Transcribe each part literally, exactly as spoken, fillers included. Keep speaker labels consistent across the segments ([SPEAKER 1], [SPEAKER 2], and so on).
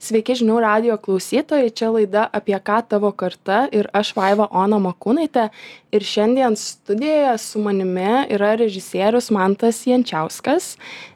[SPEAKER 1] Sveiki žinių radijo klausytojai, čia laida Apie ką tavo karta ir aš Vaiva Ona Makūnaitė. Ir šiandien studijoje su manimi yra režisierius Mantas Jančiauskas.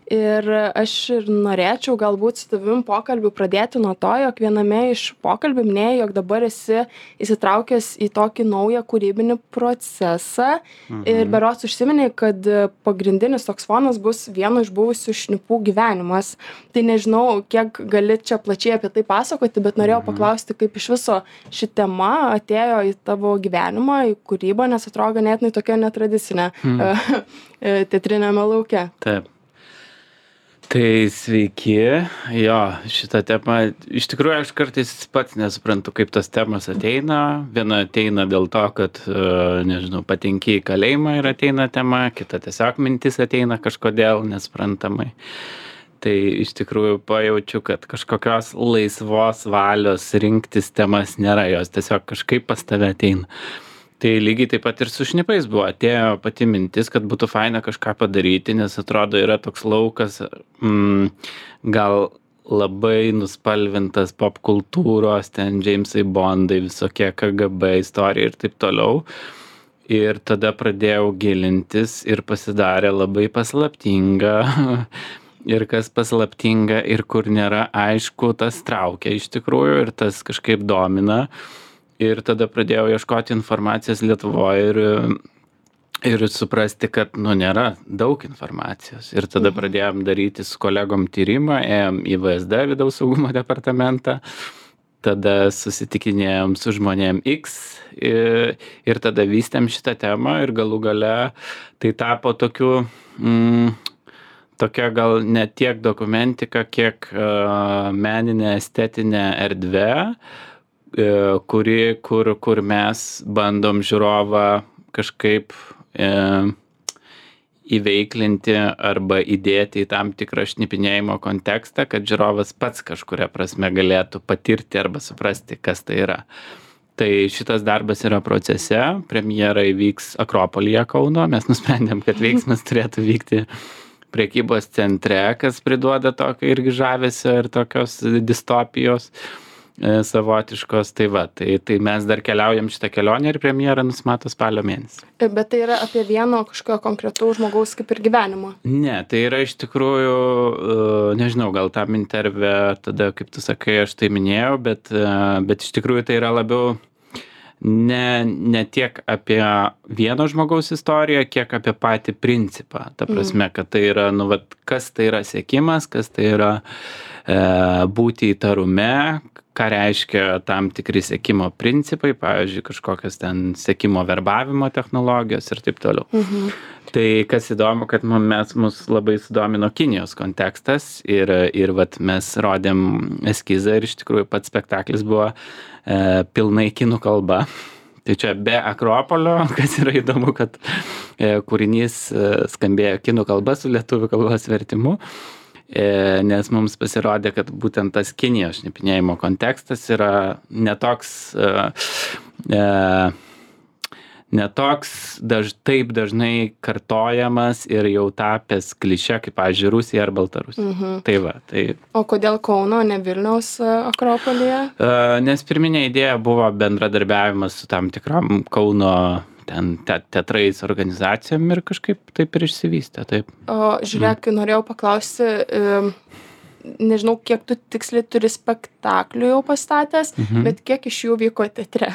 [SPEAKER 1] Ir aš ir norėčiau galbūt su tavim pokalbį pradėti nuo to, jog viename iš pokalbių minėjai, jog dabar esi įsitraukęs į tokį naują kūrybinį procesą. Mhm. Ir berods užsiminei, kad pagrindinis toks fonas bus vieno iš buvusių šnipų gyvenimas. Tai nežinau, kiek gali čia plačiai apie tai pasakoti, bet norėjau mhm. paklausti, kaip iš viso ši tema atėjo į tavo gyvenimą, į kūrybą, nes atrodo ganėtinai tokia netradicinė mhm. teatriniame lauke.
[SPEAKER 2] Taip. Tai sveiki, jo, šitą temą, iš tikrųjų aš kartais pats nesuprantu, kaip tos temos ateina. Viena ateina dėl to, kad, nežinau, patenki į kalėjimą ir ateina tema, kita tiesiog mintis ateina kažkodėl nesprantamai. Tai iš tikrųjų pajaučiu, kad kažkokios laisvos valios rinktis temas nėra, jos tiesiog kažkaip pas tave ateina. Tai lygiai taip pat ir su šnipais buvo, atėjo pati mintis, kad būtų faina kažką padaryti, nes atrodo yra toks laukas, mm, gal labai nuspalvintas pop kultūros, ten Jamesai Bondai, visokie K G B istorija ir taip toliau. Ir tada pradėjau gilintis ir pasidarė labai paslaptinga. Ir kas paslaptinga ir kur nėra aišku, tas traukia iš tikrųjų ir tas kažkaip domina. Ir tada pradėjau ieškoti informacijos Lietuvoje ir, ir suprasti, kad, nu, nėra daug informacijos. Ir tada pradėjom daryti su kolegom tyrimą, ėjom į V S D, Vidaus saugumo departamentą, tada susitikinėjom su žmonėm X ir, ir tada vystėm šitą temą ir galų gale tai tapo tokiu, mm, tokia gal ne tiek dokumentika, kiek uh, meninė estetinė erdvė, kuri, kur, kur mes bandom žiūrovą kažkaip e, įveiklinti arba įdėti į tam tikrą šnipinėjimo kontekstą, kad žiūrovas pats kažkuria prasme galėtų patirti arba suprasti, kas tai yra. Tai šitas darbas yra procese, premjera įvyks Akropolyje Kauno, mes nusprendėm, kad veiksmas turėtų vykti prekybos centre, kas priduoda tokio irgi žavesio ir tokios distopijos savotiškos, tai va, tai, tai mes dar keliaujam šitą kelionę ir premjera nusimato spalio mėnesį.
[SPEAKER 1] Bet tai yra apie vieno kažkokio konkretaus žmogaus kaip ir gyvenimo?
[SPEAKER 2] Ne, tai yra iš tikrųjų, nežinau, gal tam interve tada, kaip tu sakai, aš tai minėjau, bet, bet iš tikrųjų tai yra labiau ne, ne tiek apie vieno žmogaus istoriją, kiek apie patį principą. Ta prasme, kad tai yra, nu, vat, kas tai yra siekimas, kas tai yra e, būti įtarume, ką reiškia tam tikri sekimo principai, pavyzdžiui, kažkokios ten sekimo verbavimo technologijos ir taip toliau. Mhm. Tai kas įdomu, kad mes mus labai sudomino Kinijos kontekstas ir, ir vat, mes rodėm eskizą ir iš tikrųjų pats spektaklis buvo e, pilnai kinų kalba. Tai čia be Akropolio, kas yra įdomu, kad e, kūrinys e, skambėjo kinų kalba su lietuvių kalbos vertimu. Nes mums pasirodė, kad būtent tas Kinijos šnipinėjimo kontekstas yra netoks, e, netoks daž, taip dažnai kartojamas ir jau tapęs klišė, kaip, pavyzdžiui, Rusija ar Baltarusija. Mhm. Tai va, tai...
[SPEAKER 1] O kodėl Kauno, ne Vilniaus Akropolyje?
[SPEAKER 2] E, nes pirminė idėja buvo bendradarbiavimas su tam tikram Kauno ten te, teatrais organizacijom ir kažkaip taip ir išsivystė, taip.
[SPEAKER 1] O žiūrėk, mm. norėjau paklausti, nežinau, kiek tu tiksliai turi spektaklių jau pastatęs, mm-hmm. bet kiek iš jų vyko teatre?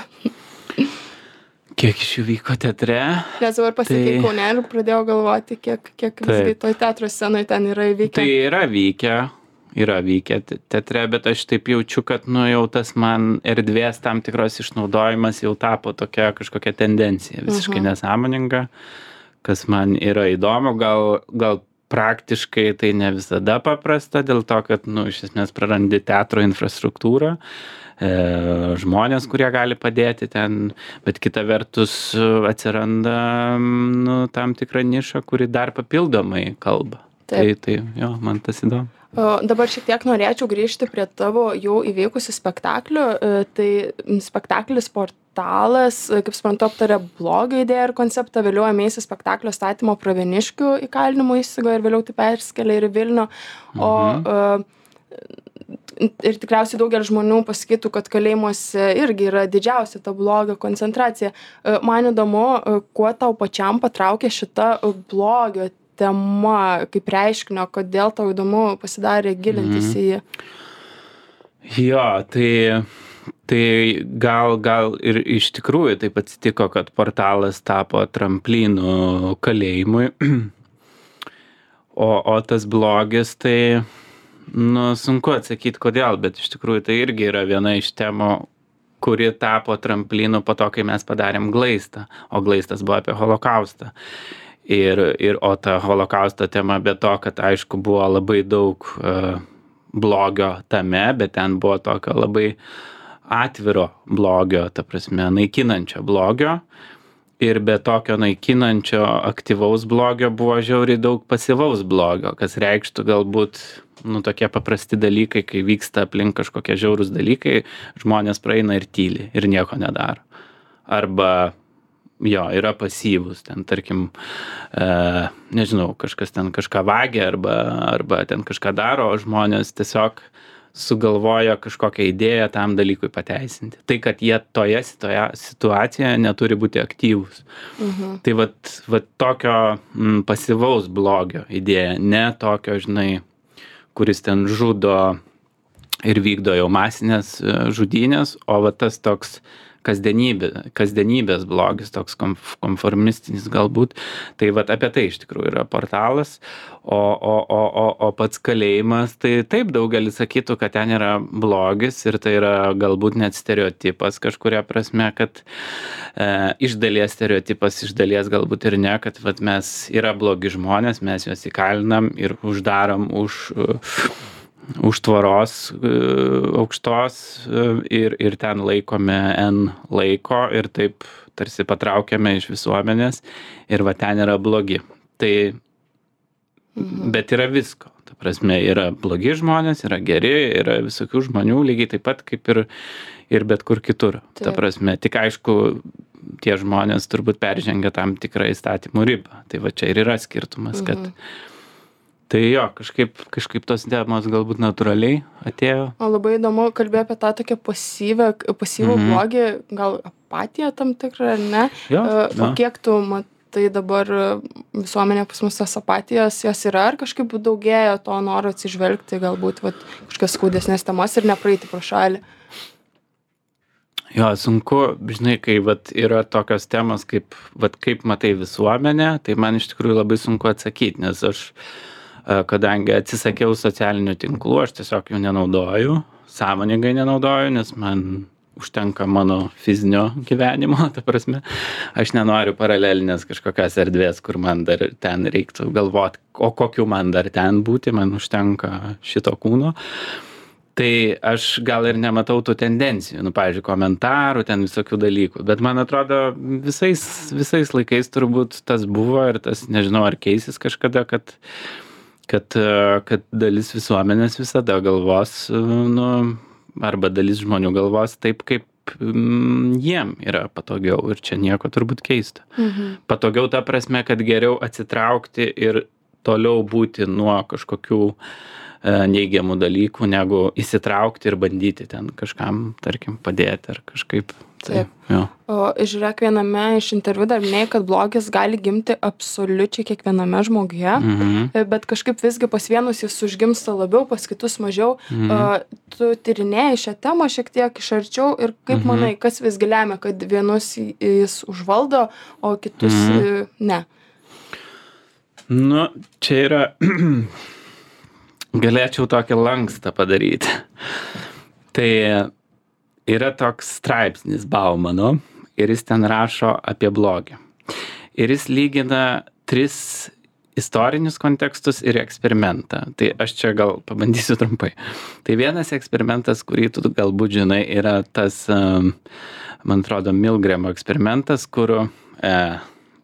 [SPEAKER 2] Kiek iš jų vyko teatre?
[SPEAKER 1] Nes dabar pasakei tai... Kaune ir pradėjau galvoti, kiek, kiek visgi toj teatro scenoje ten yra įvykę.
[SPEAKER 2] Tai yra vykę. Yra vykę teatre, bet aš taip jaučiu, kad, nu, jau tas man erdvės tam tikros išnaudojimas jau tapo tokia kažkokia tendencija, visiškai uh-huh. nesąmoninga, kas man yra įdomu, gal, gal praktiškai tai ne visada paprasta, dėl to, kad, nu, iš esmės prarandi teatro infrastruktūrą, e, žmonės, kurie gali padėti ten, bet kita vertus atsiranda, nu, tam tikra niša, kuri dar papildomai kalba. Taip. Tai, tai, jo, man tas įdomu.
[SPEAKER 1] Dabar šiek tiek norėčiau grįžti prie tavo jau įvykusių spektaklių. Tai spektaklis Portalas, kaip suprantu, aptarė blogą idėją ir konceptą, vėliau ėmėsi spektaklio statymo Pravieniškių įkalinimo įstaigoje ir vėliau tai perskelė ir į Vilnių. O mhm. ir tikriausiai daugelis žmonių pasakytų, kad kalėjimuose irgi yra didžiausia ta blogio koncentracija. Man įdomu, kuo tau pačiam patraukė šita blogio tema, kaip reiškinio, kodėl tau įdomu pasidarė gilintis į jį?
[SPEAKER 2] Jo, tai, tai gal, gal ir iš tikrųjų taip atsitiko, kad portalas tapo tramplynu kalėjimui, o, o tas blogis tai... Nu, sunku atsakyti kodėl, bet iš tikrųjų tai irgi yra viena iš temų, kuri tapo tramplynu po to, kai mes padarėm Glaistą, o Glaistas buvo apie holokaustą. Ir, ir o ta holokausto tema, be to, kad aišku buvo labai daug uh, blogio tame, bet ten buvo tokio labai atviro blogio, ta prasme, naikinančio blogio. Ir be tokio naikinančio aktyvaus blogio buvo žiauriai daug pasyvaus blogio, kas reikštų galbūt, nu, tokie paprasti dalykai, kai vyksta aplink kažkokie žiaurūs dalykai, žmonės praeina ir tyli ir nieko nedaro. Arba, jo, yra pasyvus, ten, tarkim, e, nežinau, kažkas ten kažką vagia arba, arba ten kažką daro, o žmonės tiesiog sugalvoja kažkokią idėją tam dalykui pateisinti. Tai, kad jie toje situacijoje neturi būti aktyvūs.
[SPEAKER 1] Mhm.
[SPEAKER 2] Tai vat, vat tokio m, pasyvaus blogio idėja, ne tokio, žinai, kuris ten žudo ir vykdo jau masinės žudynės, o vat tas toks kasdienybė, kasdienybės blogis, toks konformistinis galbūt. Tai vat apie tai iš tikrųjų yra portalas, o, o, o, o, o pats kalėjimas, tai taip daugelis sakytų, kad ten yra blogis ir tai yra galbūt net stereotipas kažkuria prasme, kad e, iš dalies stereotipas, iš dalies galbūt ir ne, kad vat mes yra blogi žmonės, mes juos įkalinam ir uždarom už... už tvoros aukštos ir, ir ten laikome N laiko ir taip tarsi patraukiame iš visuomenės ir va ten yra blogi. Tai, mhm. bet yra visko. Ta prasme, yra blogi žmonės, yra geri, yra visokių žmonių lygiai taip pat kaip ir, ir bet kur kitur. Taip. Ta prasme, tik aišku, tie žmonės turbūt peržengia tam tikrą įstatymų ribą. Tai va čia ir yra skirtumas, kad mhm. Tai jo, kažkaip, kažkaip tos temos galbūt natūraliai atėjo.
[SPEAKER 1] O labai įdomu, kalbėjo apie tą tokią pasyvę, pasyvų mm-hmm. blogį, gal apatiją tam tikrą, ar ne?
[SPEAKER 2] Jo,
[SPEAKER 1] o
[SPEAKER 2] jo.
[SPEAKER 1] Kiek tu matai dabar visuomenė pas mus tas apatijos, jos yra, ar kažkaip daugėja to noro atsižvelgti, galbūt vat, kažkokias skaudesnės temos ir nepraeiti pro šalį?
[SPEAKER 2] Jo, sunku, žinai, kai vat, yra tokios temos, kaip, vat, kaip matai visuomenę, tai man iš tikrųjų labai sunku atsakyti, nes aš kadangi atsisakiau socialinių tinklų, aš tiesiog jų nenaudoju, sąmoningai nenaudoju, nes man užtenka mano fizinio gyvenimo, ta prasme, aš nenoriu paralelinės kažkokios erdvės, kur man dar ten reiktų galvoti, o kokiu man dar ten būti, man užtenka šito kūno. Tai aš gal ir nematau tų tendencijų, nu, pavyzdžiui, komentarų, ten visokių dalykų, bet man atrodo visais, visais laikais turbūt tas buvo ir tas, nežinau, ar keisis kažkada, kad Kad, kad dalis visuomenės visada galvos, nu, arba dalis žmonių galvos taip, kaip mm, jiem yra patogiau ir čia nieko turbūt keisto.
[SPEAKER 1] Mhm.
[SPEAKER 2] Patogiau ta prasme, kad geriau atsitraukti ir toliau būti nuo kažkokių e, neigiamų dalykų, negu įsitraukti ir bandyti ten kažkam, tarkim, padėti ar kažkaip. Tai, jo.
[SPEAKER 1] O žiūrėk, viename iš interviu dar minėjai, kad blogis gali gimti absoliučiai kiekviename žmoguje,
[SPEAKER 2] Mhm.
[SPEAKER 1] bet kažkaip visgi pas vienus jis užgimsta labiau, pas kitus mažiau.
[SPEAKER 2] Mhm.
[SPEAKER 1] O, tu tyrinėjai šią temą šiek tiek iš arčiau ir kaip
[SPEAKER 2] Mhm.
[SPEAKER 1] manai, kas visgi lemia, kad vienus jis užvaldo, o kitus
[SPEAKER 2] Mhm.
[SPEAKER 1] ne?
[SPEAKER 2] Nu, čia yra, galėčiau tokį lankstą padaryti. Tai yra toks straipsnis Baumano ir jis ten rašo apie blogį. Ir jis lygina tris istorinius kontekstus ir eksperimentą. Tai aš čia gal pabandysiu trumpai. Tai vienas eksperimentas, kurį tu galbūt žinai, yra tas, man atrodo, Milgramo eksperimentas, kur e,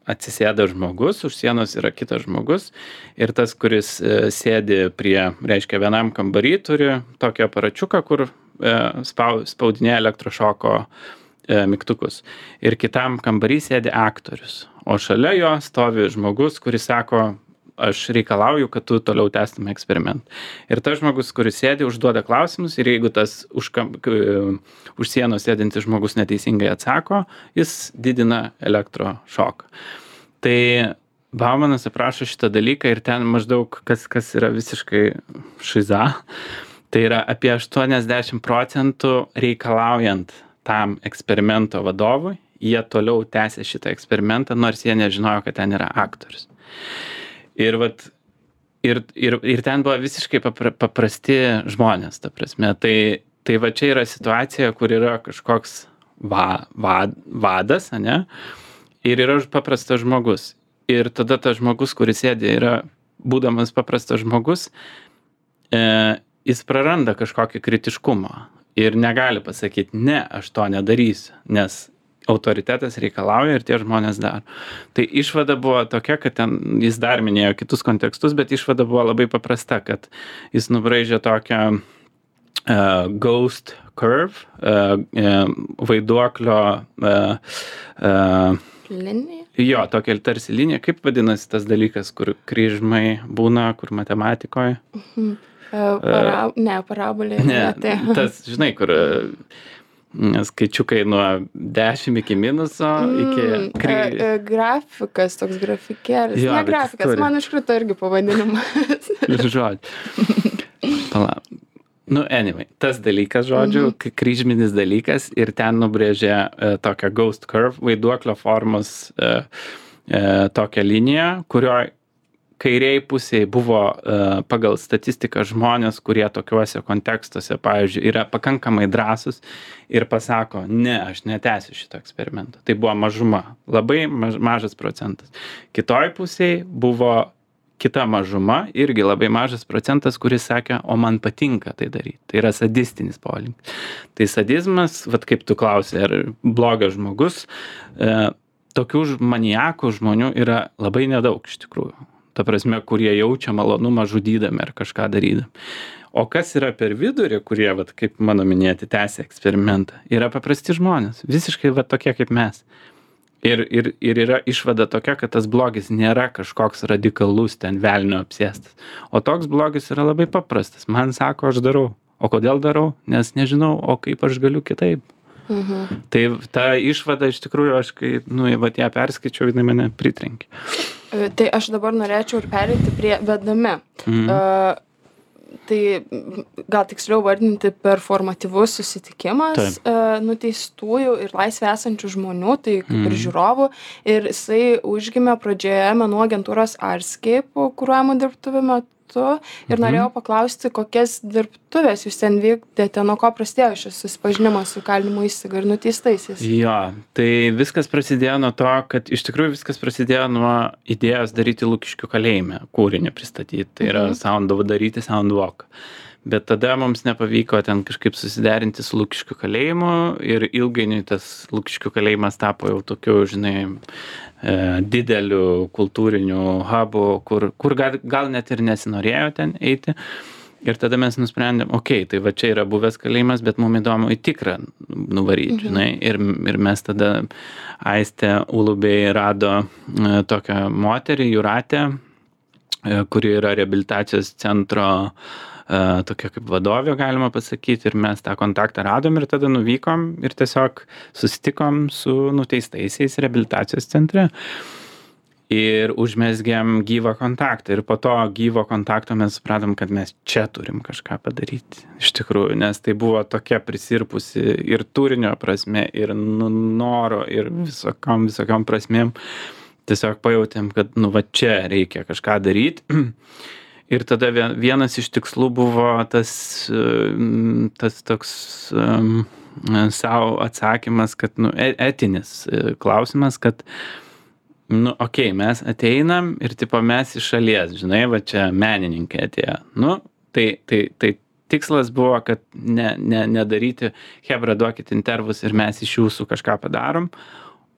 [SPEAKER 2] atsisėda žmogus, už sienos yra kitas žmogus ir tas, kuris e, sėdi prie, reiškia, vienam kambarį, turi tokį aparačiuką, kur spaudinėja elektrošoko e, mygtukus. Ir kitam kambarį sėdi aktorius. O šalia jo stovi žmogus, kuris sako, aš reikalauju, kad tu toliau tęstum eksperimentą. Ir tas žmogus, kuris sėdi, užduoda klausimus ir jeigu tas už, kam, už sienos sėdintis žmogus neteisingai atsako, jis didina elektrošoką. Tai Baumanas aprašo šitą dalyką ir ten maždaug, kas, kas yra visiškai šiza, tai yra apie aštuoniasdešimt procentų reikalaujant tam eksperimento vadovui, jie toliau tęsė šitą eksperimentą, nors jie nežinojo, kad ten yra aktorius. Ir, vat, ir, ir, ir ten buvo visiškai papra, paprasti žmonės, ta prasme. Tai, tai va čia yra situacija, kur yra kažkoks va, va, vadas, ane? Ir yra paprastas žmogus. Ir tada tas žmogus, kuris sėdė, yra, būdamas paprastas žmogus, e, jis praranda kažkokį kritiškumą ir negali pasakyti, ne, aš to nedarysiu, nes autoritetas reikalauja ir tie žmonės daro. Tai išvada buvo tokia, kad ten jis dar minėjo kitus kontekstus, bet išvada buvo labai paprasta, kad jis nubraižė tokią uh, ghost curve, uh, uh, vaiduoklio uh, uh,
[SPEAKER 1] linija.
[SPEAKER 2] Jo, tokia tarsi linija. Kaip vadinasi tas dalykas, kur kryžmai būna, kur matematikoje?
[SPEAKER 1] Mhm. Uh, para, uh, ne, parabolė.
[SPEAKER 2] Ne, tai. Tas, žinai, kur uh, skaičiukai nuo dešimt iki minuso, mm, iki... Kry...
[SPEAKER 1] Uh, uh, grafikas, toks grafikėlis. Jo, ne grafikas, turi. Man iškrito irgi pavadinimas.
[SPEAKER 2] Žodžiu. Palauk. Nu, anyway, tas dalykas, žodžiu, mm-hmm. kryžminis dalykas ir ten nubrėžė uh, tokią ghost curve, vaiduoklio formos uh, uh, tokią liniją, kurioje kairiai pusėje buvo uh, pagal statistiką žmonės, kurie tokiuose kontekstuose, pavyzdžiui, yra pakankamai drąsus ir pasako, ne, aš netęsiu šito eksperimento. Tai buvo mažuma, labai maž, mažas procentas. Kitoj pusėje buvo kita mažuma, irgi labai mažas procentas, kuris sakė, o man patinka tai daryti. Tai yra sadistinis polinkis. Tai sadizmas, vat kaip tu klausai, ar blogas žmogus, e, tokių maniakų žmonių yra labai nedaug iš tikrųjų. Ta prasme, kurie jaučia malonumą žudydami ar kažką darydami. O kas yra per vidurį, kurie, vat, kaip mano minėti, tęsia eksperimentą, yra paprasti žmonės, visiškai vat, tokie kaip mes. Ir, ir, ir yra išvada tokia, kad tas blogis nėra kažkoks radikalus, ten velnio apsėstas. O toks blogis yra labai paprastas. Man sako, aš darau. O kodėl darau? Nes nežinau, o kaip aš galiu kitaip. Mhm. Tai ta išvada iš tikrųjų, aš kai, nu, vat ją perskaičiau, jinai mane pritrenkė.
[SPEAKER 1] Tai aš dabar norėčiau ir pereiti prie vedami. Mhm. Uh, tai gal tiksliau vardinti performatyvus susitikimas uh, nuteistųjų ir laisvė esančių žmonių, tai kaip mm. ir žiūrovų. Ir jisai užgimė pradžioje menų agentūros Artscape, kuruojamų dirbtuvių metu. Ir mm-hmm. norėjau paklausti, kokias dirbtuvės jūs ten vykdėte, nuo ko prasidėjo šis susipažinimas su kalinimo įstaiga ir nuteistaisiais.
[SPEAKER 2] Jo, tai viskas prasidėjo nuo to, kad iš tikrųjų viskas prasidėjo nuo idėjos daryti Lukiškių kalėjime, kūrinį pristatyti. Tai yra mm-hmm. sound, daryti soundwalk. Bet tada mums nepavyko ten kažkaip susiderinti su Lukiškių kalėjimu ir ilgainiui tas Lukiškių kalėjimas tapo jau tokiu, žinai, e, dideliu kultūriniu hubu, kur, kur gal, gal net ir nesinorėjo ten eiti. Ir tada mes nusprendėm, okei, okay, tai va čia yra buvęs kalėjimas, bet mums įdomu į tikrą nuvaryti, mhm. žinai. Ir, ir mes tada Aistė Ulubėj rado e, tokią moterį, Jūratę, e, kuri yra reabilitacijos centro Uh, tokia kaip vadovė, galima pasakyti, ir mes tą kontaktą radom ir tada nuvykom ir tiesiog susitikom su nuteistaisiais reabilitacijos centre ir užmezgėm gyvą kontaktą ir po to gyvo kontakto mes supratom, kad mes čia turim kažką padaryti iš tikrųjų, nes tai buvo tokia prisirpusi ir turinio prasme, ir noro, ir visokiom, visokiom prasmėm. Tiesiog pajautėm, kad nu va čia reikia kažką daryti. Ir tada vienas iš tikslų buvo tas, tas toks um, savo atsakymas, kad, nu, etinis klausimas, kad, nu, okei, okay, mes ateinam ir, tipo, mes iš šalies, žinai, va čia menininkai atėjo. Nu, tai, tai, tai tikslas buvo, kad ne, ne, nedaryti, hebra, duokit intervus ir mes iš jūsų kažką padarom,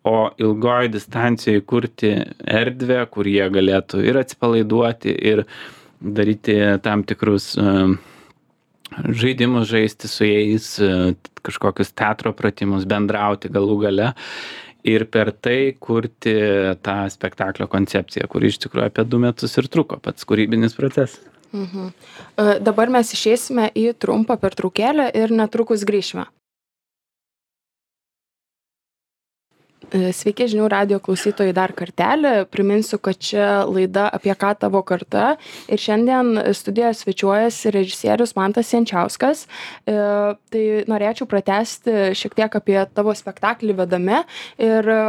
[SPEAKER 2] o ilgoj distancijoje kurti erdvę, kur jie galėtų ir atsipalaiduoti, ir daryti tam tikrus uh, žaidimus, žaisti su jais, uh, kažkokius teatro pratimus, bendrauti galų gale. ir per tai kurti tą spektaklio koncepciją, kuri iš tikrųjų apie du metus ir truko pats kūrybinis procesas.
[SPEAKER 1] Mhm. E, Dabar mes išeisime į trumpą pertraukėlę ir netrukus grįšime. E, Sveiki žinių radijo klausytojai dar kartelį. Priminsiu, kad čia laida apie ką tavo karta. Ir šiandien studijoje svečiuojasi režisierius Mantas Jančiauskas. E, Tai norėčiau pratęsti šiek tiek apie tavo spektaklį Vedami. Ir e,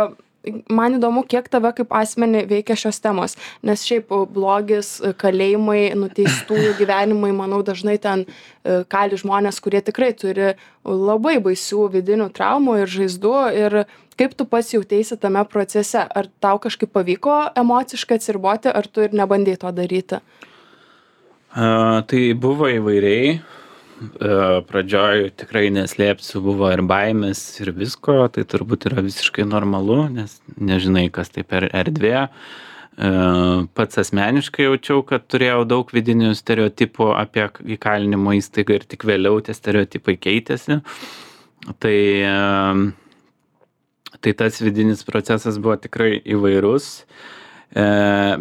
[SPEAKER 1] man įdomu, kiek tave kaip asmenį veikia šios temos. Nes šiaip blogis, kalėjimai, nuteistųjų gyvenimai, manau, dažnai ten e, kali žmonės, kurie tikrai turi labai baisių vidinių traumų ir žaizdų. Ir kaip tu pats jauteisi tame procese? Ar tau kažkaip pavyko emociškai atsiriboti, ar tu ir nebandei to daryti?
[SPEAKER 2] A, tai buvo įvairiai. A, pradžioj tikrai neslėpsiu, buvo ir baimės ir visko, tai turbūt yra visiškai normalu, nes nežinai, kas tai per erdvė. A, pats asmeniškai jaučiau, kad turėjau daug vidinių stereotipų apie įkalinimo įstaigą ir tik vėliau tie stereotipai keitėsi. Tai, a, tai tas vidinis procesas buvo tikrai įvairus. E,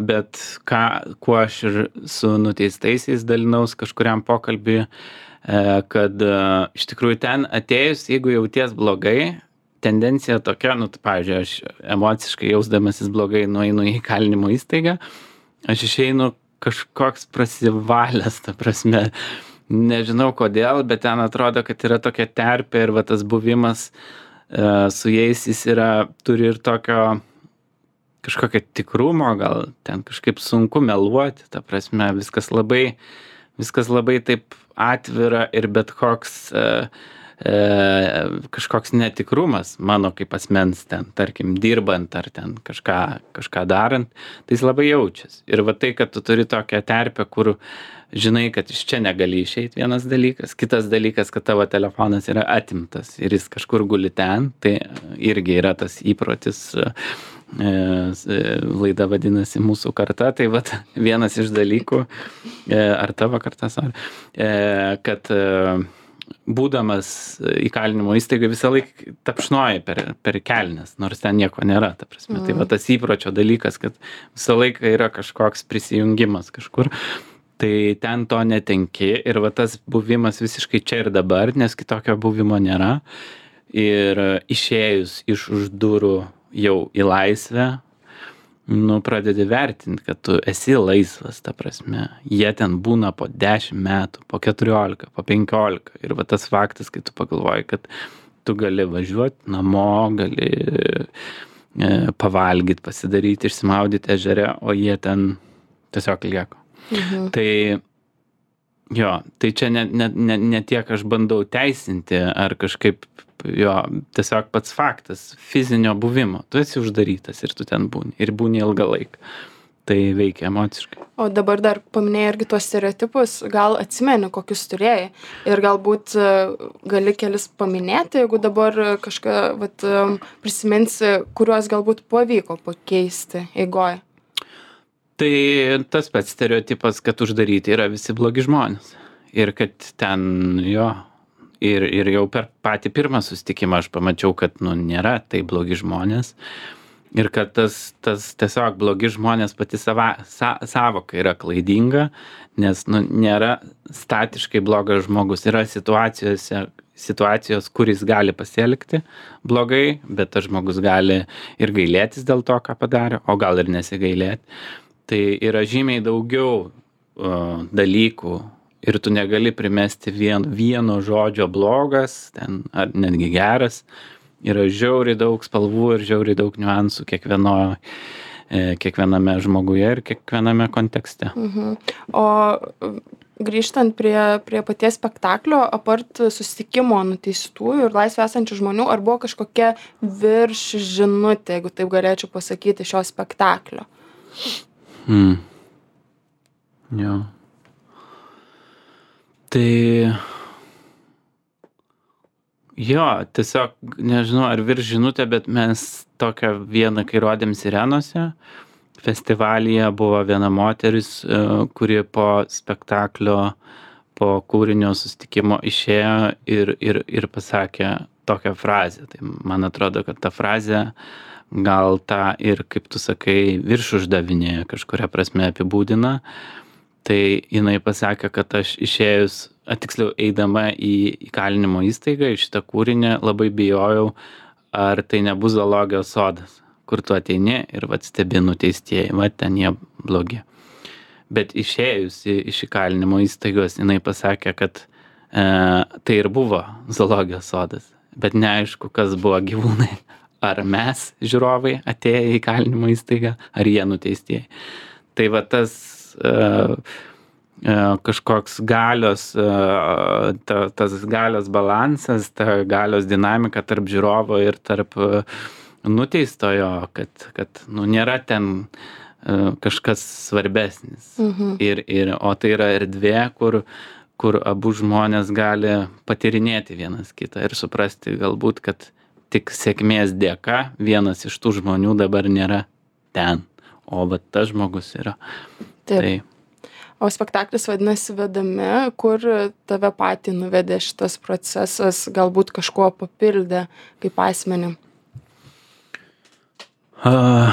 [SPEAKER 2] bet ką, kuo aš ir su nuteistaisiais dalinaus kažkuriam pokalbį, e, kad e, iš tikrųjų ten atėjus, jeigu jauties blogai, tendencija tokia, nu, tai, pavyzdžiui, aš emociškai jausdamasis blogai nueinu į įkalinimo įstaigą, aš išeinu kažkoks prasivalęs, ta prasme, nežinau kodėl, bet ten atrodo, kad yra tokia terpė ir va tas buvimas e, su jais jis yra, turi ir tokio kažkokio tikrumo, gal ten kažkaip sunku meluoti, ta prasme, viskas labai, viskas labai taip atvira ir bet koks e, e, kažkoks netikrumas mano kaip asmens ten, tarkim, dirbant ar ten kažką, kažką darant, tai jis labai jaučiasi. Ir va tai, kad tu turi tokią terpę, kur žinai, kad iš čia negali išeiti vienas dalykas, kitas dalykas, kad tavo telefonas yra atimtas ir jis kažkur guli ten, tai irgi yra tas įprotis. Laida vadinasi Mūsų karta, tai vat vienas iš dalykų, ar tavo karta, sorry, kad būdamas įkalinimo įstaigai visą laiką tapšnoji per, per kelnes, nors ten nieko nėra, ta prasme. Mm. Tai va tas įpročio dalykas, kad visą laiką yra kažkoks prisijungimas kažkur, tai ten to netenki ir va tas buvimas visiškai čia ir dabar, nes kitokio buvimo nėra. Ir išėjus iš už durų jau į laisvę, nu, pradedi vertinti, kad tu esi laisvas, ta prasme. Jie ten būna po dešimt metų, po keturiolika, po penkiolika. Ir va tas faktas, kai tu pagalvoji, kad tu gali važiuoti namo, gali e, pavalgyti, pasidaryti, išsimaudyti ežere, o jie ten tiesiog lieka. Mhm. Tai jo, tai čia ne, ne, ne, ne tiek aš bandau teisinti ar kažkaip jo, tiesiog pats faktas fizinio buvimo. Tu esi uždarytas ir tu ten būni. Ir būni ilgą laiką. Tai veikia emociškai.
[SPEAKER 1] O dabar dar paminėjai irgi tuos stereotipus. Gal atsimeni, kokius turėjai? Ir galbūt gali kelis paminėti, jeigu dabar kažką vat, prisiminsi, kuriuos galbūt pavyko pakeisti eigoje.
[SPEAKER 2] Tai tas pats stereotipas, kad uždaryti yra visi blogi žmonės. Ir kad ten jo... Ir, ir jau per patį pirmą susitikimą aš pamačiau, kad nu, nėra tai blogi žmonės ir kad tas, tas tiesiog blogi žmonės pati sava, sa, savoka yra klaidinga, nes nu, nėra statiškai blogas žmogus. Yra situacijose, situacijos, kuris gali pasielgti blogai, bet tas žmogus gali ir gailėtis dėl to, ką padarė, o gal ir nesigailėti. Tai yra žymiai daugiau uh, dalykų. Ir tu negali primesti vien, vieno žodžio blogas, ten, ar netgi geras. Yra žiauriai daug spalvų ir žiauriai daug niuansų kiekvieno, e, kiekviename žmoguje ir kiekviename kontekste.
[SPEAKER 1] Mhm. O grįžtant prie, prie paties spektaklio, apart susitikimo nuteistųjų ir laisvę esančių žmonių, ar buvo kažkokia virš žinutė, jeigu taip galėčiau pasakyti, šio spektaklio?
[SPEAKER 2] Hmm. Jo. Tai jo, tiesiog, nežinau, ar virš žinutė, bet mes tokią vieną, kai rodėm Sirenose, festivalyje buvo viena moteris, kuri po spektaklio, po kūrinio susitikimo išėjo ir, ir, ir pasakė tokią frazę. Tai man atrodo, kad ta frazė gal tą ir, kaip tu sakai, virš uždavinėje kažkuria prasme apibūdina. Tai jinai pasakė, kad aš išėjus, tiksliau eidama į įkalinimo įstaigą, į šitą kūrinį labai bijojau, ar tai nebus zoologijos sodas, kur tu ateini ir vat stebi nuteistieji, vat ten jie blogi. Bet išėjusi iš įkalinimo įstaigos, jinai pasakė, kad e, tai ir buvo zoologijos sodas, bet neaišku, kas buvo gyvūnai. Ar mes, žiūrovai, atėję į įkalinimo įstaigą, ar jie nuteistieji. Tai va tas uh, uh, kažkoks galios, uh, ta, tas galios balansas, ta galios dinamika tarp žiūrovo ir tarp uh, nuteistojo, kad, kad nu, nėra ten uh, kažkas svarbesnis. Mhm. Ir, ir, o tai yra erdvė, kur, kur abu žmonės gali patyrinėti vienas kitą ir suprasti galbūt, kad tik sėkmės dėka vienas iš tų žmonių dabar nėra ten, o va tas žmogus yra.
[SPEAKER 1] Taip. Tai. O spektaklis vadinasi Vedami, kur tave patį nuvedė šitas procesas, galbūt kažkuo papildė kaip asmenį?
[SPEAKER 2] Uh,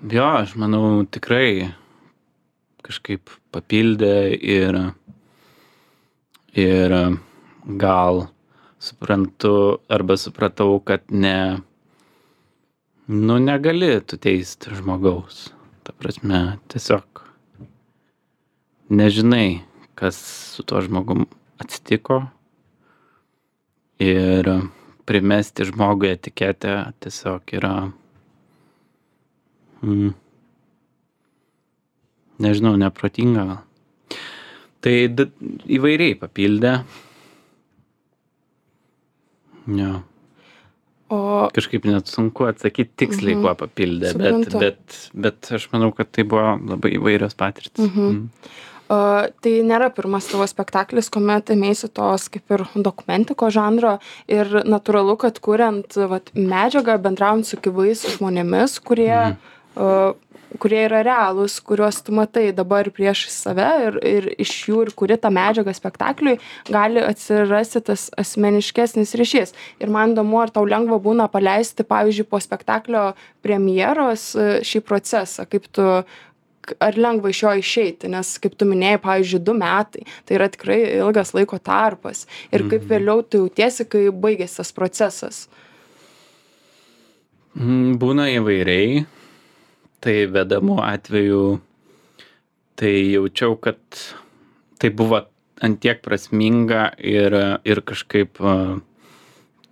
[SPEAKER 2] jo, aš manau tikrai kažkaip papildė ir, ir gal suprantu arba supratau, kad ne, nu negali tu teisti žmogaus. Ta prasme, tiesiog nežinai, kas su tuo žmogum atsitiko ir primesti žmogui etiketę tiesiog yra, mm, nežinau, neprotinga gal. Tai d- įvairiai papildė. Jo. O... Kažkaip net sunku atsakyti tiksliai, mhm. kuo papildė, bet, bet, bet aš manau, kad tai buvo labai įvairios patirtis.
[SPEAKER 1] Mhm. Mhm. O, tai nėra pirmas tavo spektaklis, kuomet ėmėsi tos kaip ir dokumentiko žanro ir natūralu, kad kuriant vat, medžiagą, bendraujant su gyvais žmonėmis, kurie... Mhm. O, kurie yra realūs, kuriuos tu matai dabar prieš save ir, ir iš jų ir kuri tą medžiagą spektakliui, gali atsirasti tas asmeniškesnis ryšys. Ir man įdomu, ar tau lengva būna paleisti, pavyzdžiui, po spektaklio premjeros šį procesą, kaip tu, ar lengva iš jo išeiti, nes kaip tu minėjai, pavyzdžiui, du metai, tai yra tikrai ilgas laiko tarpas. Ir kaip vėliau tu jautiesi, kai baigėsi tas procesas?
[SPEAKER 2] Būna įvairiai. Tai Vedamų atveju, tai jaučiau, kad tai buvo ant tiek prasminga ir, ir kažkaip uh,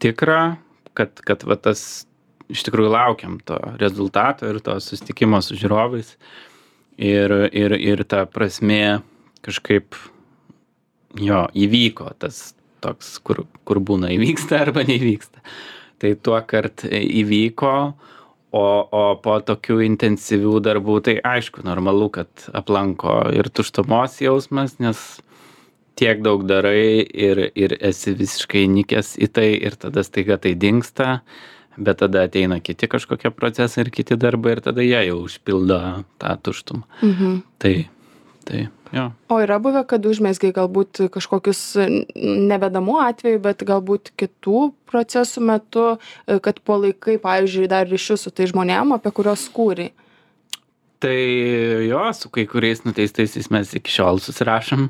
[SPEAKER 2] tikra, kad, kad va tas iš tikrųjų laukiam to rezultato ir to susitikimo su žiūrovais. Ir, ir, ir ta prasmė kažkaip jo įvyko, tas toks, kur, kur būna įvyksta arba neįvyksta. Tai tuo kart įvyko. O, o po tokių intensyvių darbų, tai aišku, normalu, kad aplanko ir tuštumos jausmas, nes tiek daug darai ir, ir esi visiškai nikęs į tai ir tada staiga tai dingsta, bet tada ateina kiti kažkokie procesai ir kiti darbai ir tada jie jau užpildo tą tuštumą. Mhm. Tai, tai, jo.
[SPEAKER 1] O yra buvę, kad užmezgai galbūt kažkokius nevedamų atvejų, bet galbūt kitų procesų metu, kad palaikai, pavyzdžiui, dar ryšius su tai žmonėm, apie kurios kūrei?
[SPEAKER 2] Tai jo, su kai kuriais nuteistaisiais mes iki šiol susirašom.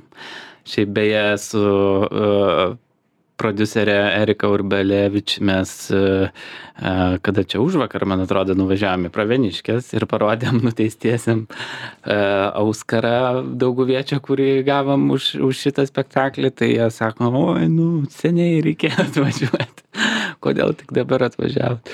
[SPEAKER 2] Šiaip beje su uh, prodiuserė Erika Urbelevič mes uh, uh, kada čia užvakar, man atrodo, nuvažiavome į Pravieniškes ir parodėm nuteistiesiem uh, Auskarą Dauguviečio, kurį gavom už, už šitą spektaklį. Tai jie sako, oi, nu, seniai reikėjo atvažiuoti. Kodėl tik dabar atvažiavot?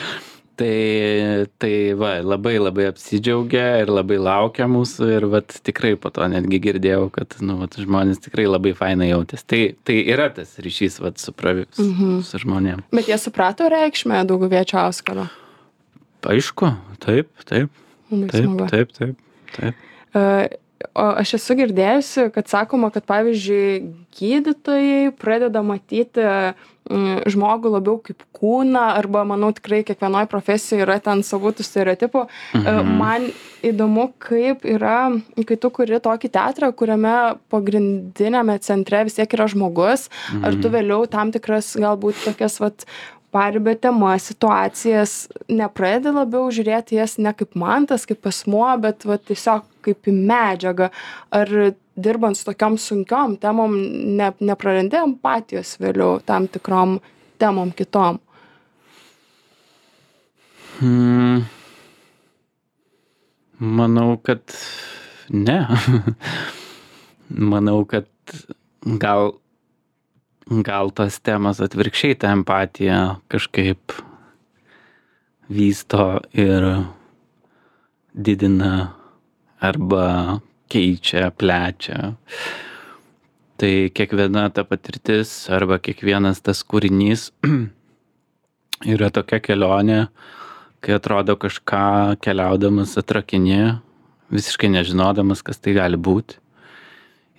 [SPEAKER 2] Tai, tai va, labai labai apsidžiaugia ir labai laukia mūsų ir vat tikrai po to netgi girdėjau, kad nu, vat, žmonės tikrai labai fainai jautės. Tai, tai yra tas ryšys vat, su, pravi, su, mhm. su žmonėm.
[SPEAKER 1] Bet jie suprato reikšmę Dauguviečio Auskaro?
[SPEAKER 2] Aišku, taip, taip, taip, taip, taip, taip.
[SPEAKER 1] Uh, o aš esu girdėjusi, kad sakoma, kad pavyzdžiui gydytojai pradeda matyti žmogų labiau kaip kūną, arba manau tikrai kiekvienoj profesijoje yra ten savų tų stereotipų. Mhm. Man įdomu, kaip yra, kai tu kuri tokį teatrą, kuriame pagrindinėme centre vis tiek yra žmogus, mhm. ar tu vėliau tam tikras galbūt tokias vat paribio temas, situacijas, nepradedi labiau žiūrėti jas ne kaip mantas, kaip asmuo, bet va, tiesiog kaip į medžiagą. Ar dirbant su tokiom sunkiom temom ne, neprarandi empatijos vėliau tam tikrom temom kitom?
[SPEAKER 2] Hmm. Manau, kad ne. Manau, kad gal, gal tos temas atvirkščiai tą empatiją kažkaip vysto ir didina arba keičia, plečia. Tai kiekviena ta patirtis arba kiekvienas tas kūrinys yra tokia kelionė, kai atrodo kažką keliaudamas atrakini, visiškai nežinodamas, kas tai gali būti.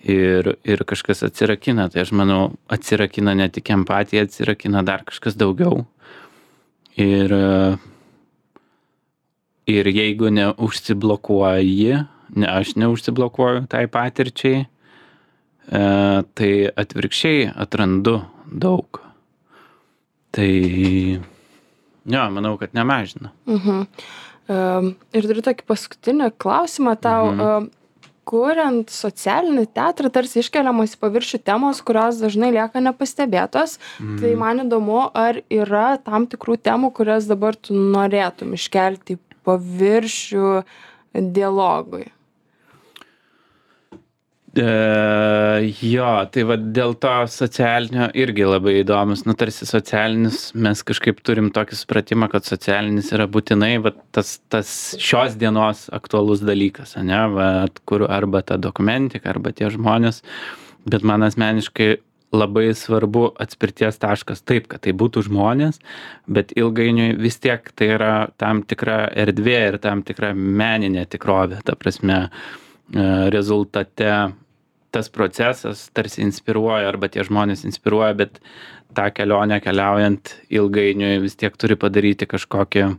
[SPEAKER 2] Ir, ir kažkas atsirakina. Tai aš manau, atsirakina ne tik empatija, atsirakina dar kažkas daugiau. Ir, ir jeigu neužsiblokuoji, ne, aš neužsiblokuoju tai patirčiai, e, tai atvirkščiai atrandu daug. Tai, jo, manau, kad nemažina.
[SPEAKER 1] Mhm. Um, ir turiu tokį paskutinį klausimą tau. Mhm. Um, kuriant socialinį teatrą, tarsi iškeliamos į paviršių temos, kurios dažnai lieka nepastebėtos. Mhm. Tai man įdomu, ar yra tam tikrų temų, kurias dabar tu norėtum iškelti į paviršių dialogui?
[SPEAKER 2] E, jo, tai va dėl to socialinio irgi labai įdomus, nu tarsi socialinis, mes kažkaip turim tokį supratimą, kad socialinis yra būtinai va, tas, tas šios dienos aktualus dalykas, ne, va, kur arba ta dokumentika, arba tie žmonės, bet man asmeniškai labai svarbu atspirties taškas taip, kad tai būtų žmonės, bet ilgainiui vis tiek tai yra tam tikra erdvė ir tam tikra meninė tikrovė, ta prasme rezultate tas procesas tarsi inspiruoja arba tie žmonės inspiruoja, bet tą kelionę keliaujant ilgainiui vis tiek turi padaryti kažkokią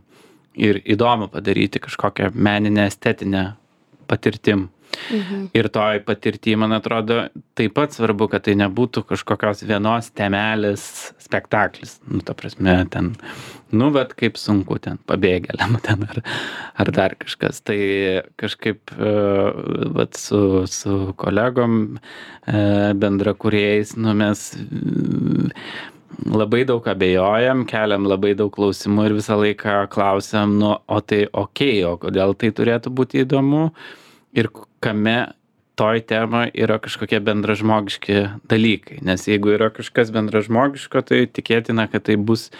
[SPEAKER 2] ir įdomu padaryti kažkokią meninę estetinę patirtim. Mhm. Ir toj patirty, man atrodo, taip pat svarbu, kad tai nebūtų kažkokios vienos temelės spektaklis. Nu, ta prasme, ten, nu, bet kaip sunku ten pabėgėliam ten ar, ar dar kažkas. Tai kažkaip vat, su, su kolegom bendrakūrėjais, nu, mes labai daug abejojam, keliam labai daug klausimų ir visą laiką klausiam, nu, o tai okei, okay, o kodėl tai turėtų būti įdomu? Ir kame toj temai yra kažkokie bendražmogiški dalykai. Nes jeigu yra kažkas bendražmogiško, tai tikėtina, kad tai bus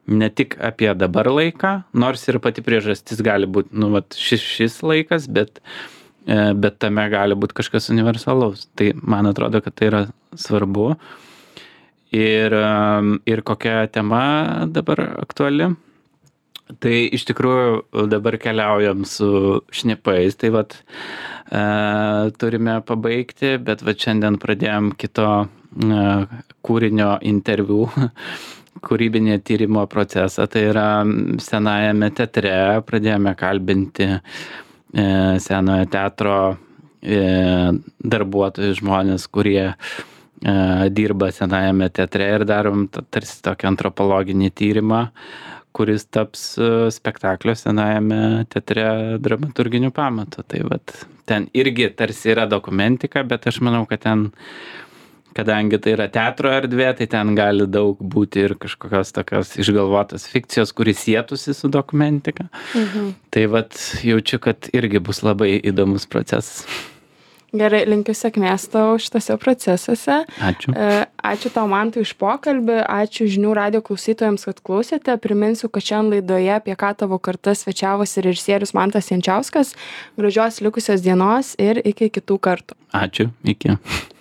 [SPEAKER 2] ne tik apie dabar laiką, nors ir pati priežastis gali būti, nu, vat, šis, šis laikas, bet, bet tame gali būti kažkas universalaus. Tai man atrodo, kad tai yra svarbu. Ir, ir kokia tema dabar aktuali? Tai iš tikrųjų dabar keliaujam su šnipais, tai vat e, turime pabaigti, bet vat šiandien pradėjom kito e, kūrinio interviu, kūrybinė tyrimo procesą, tai yra senajame teatre, pradėjome kalbinti e, senojo teatro e, darbuotojus, žmonės, kurie e, dirba senajame teatre ir darom tarsi tokį antropologinį tyrimą, kuris taps spektaklio senajame teatre dramaturginiu pamatu. Tai vat, ten irgi tarsi yra dokumentika, bet aš manau, kad ten, kadangi tai yra teatro erdvė, tai ten gali daug būti ir kažkokios tokios išgalvotos fikcijos, kuris sietųsi su dokumentika. Mhm. Tai vat, jaučiu, kad irgi bus labai įdomus procesas.
[SPEAKER 1] Gerai, linkiu sėkmės tau šitose procesuose.
[SPEAKER 2] Ačiū.
[SPEAKER 1] Ačiū tau, Mantai, už pokalbį. Ačiū žinių radijo klausytojams, kad klausėte. Priminsiu, kad šiandien laidoje apie ką tavo karta svečiavosi režisierius Mantas Jančiauskas. Gražios likusios dienos ir iki kitų kartų.
[SPEAKER 2] Ačiū, iki.